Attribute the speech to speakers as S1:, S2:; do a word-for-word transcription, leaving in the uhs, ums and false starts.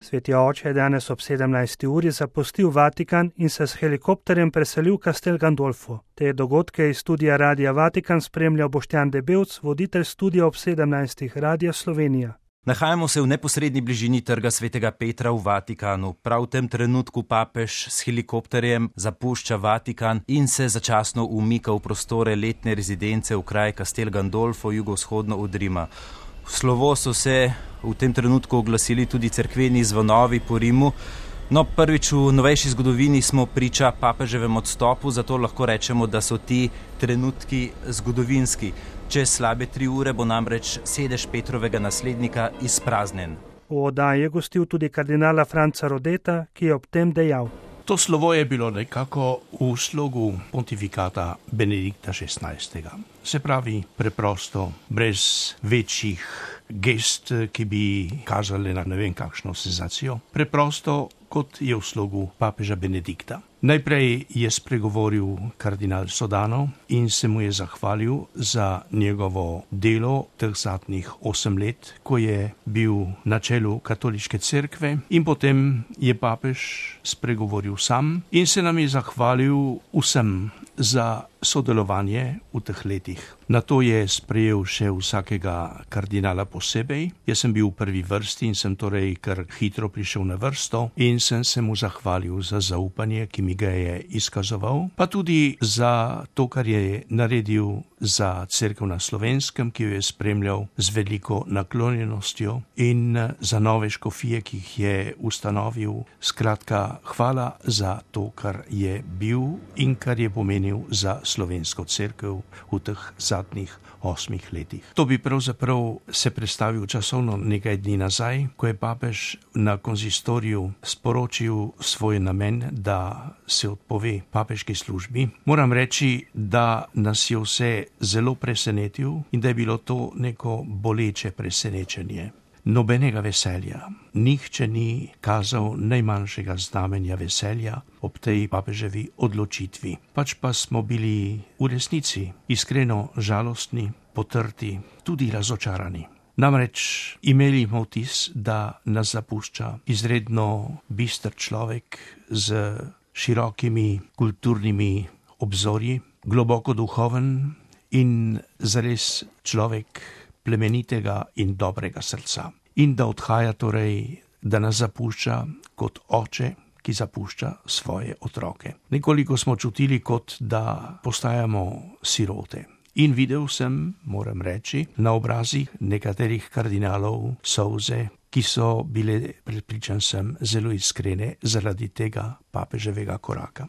S1: Sveti oče je danes ob sedemnajsti uri zapustil Vatikan in se s helikopterjem preselil v Castel Gandolfo. Te dogodke iz studia Radia Vatikan spremlja Boštjan Debevc, voditelj studia ob sedemnajstih Radia Slovenija.
S2: Nahajamo se v neposredni bližini Trga svetega Petra v Vatikanu. Prav v tem trenutku papež s helikopterjem zapušča Vatikan in se začasno umika v prostore letne rezidence v kraj Castel Gandolfo, jugovzhodno od Rima. V slovo so se v tem trenutku oglasili tudi cerkveni zvonovi po Rimu. No, prvič v novejši zgodovini smo priča papeževem odstopu, zato lahko rečemo, da so ti trenutki zgodovinski. Čez slabe tri ure bo namreč sedež Petrovega naslednika izpraznjen.
S1: V oddaji je gostil tudi kardinala Franca Rodeta, ki je ob tem dejal:
S3: To slovo je bilo nekako v slogu pontifikata Benedikta šestnajstega. Se pravi preprosto, brez večjih gest, ki bi kazali na ne vem kakšno senzacijo. Preprosto, kot je v slogu papeža Benedikta. Najprej je spregovoril kardinal Sodano in se mu je zahvalil za njegovo delo teh zadnjih osem let, ko je bil na čelu katoliške cerkve, in potem je papež spregovoril sam in se nam je zahvalil vsem za sodelovanje v teh letih. Nato je sprejel še vsakega kardinala posebej. Jaz sem bil v prvi vrsti in sem torej kar hitro prišel na vrsto in sem se mu zahvalil za zaupanje, ki mi ga je izkazoval, pa tudi za to, kar je naredil za cerkev na Slovenskem, ki jo je spremljal z veliko naklonjenostjo, in za nove škofije, ki jih je ustanovil. Skratka, hvala za to, kar je bil in kar je pomenil za slovensko cerkev v teh zadnjih osmih letih. To bi pravzaprav se predstavil časovno nekaj dni nazaj, ko je papež na konzistoriju sporočil svoj namen, da se odpove papeški službi. Moram reči, da nas je vse zelo presenetil in da je bilo to neko boleče presenečenje. Nobenega veselja. Nihče ni kazal najmanjšega znamenja veselja ob tej papeževi odločitvi. Pač pa smo bili v resnici iskreno žalostni, potrti, tudi razočarani. Namreč imeli smo vtis, da nas zapušča izredno bister človek z širokimi kulturnimi obzorji, globoko duhoven in zares človek plemenitega in dobrega srca. In da odhaja torej, da nas zapušča kot oče, ki zapušča svoje otroke. Nekoliko smo čutili, kot da postajamo sirote. In videl sem, moram reči, na obrazih nekaterih kardinalov solze, ki so bile, prepričan sem, zelo iskrene zaradi tega papeževega koraka.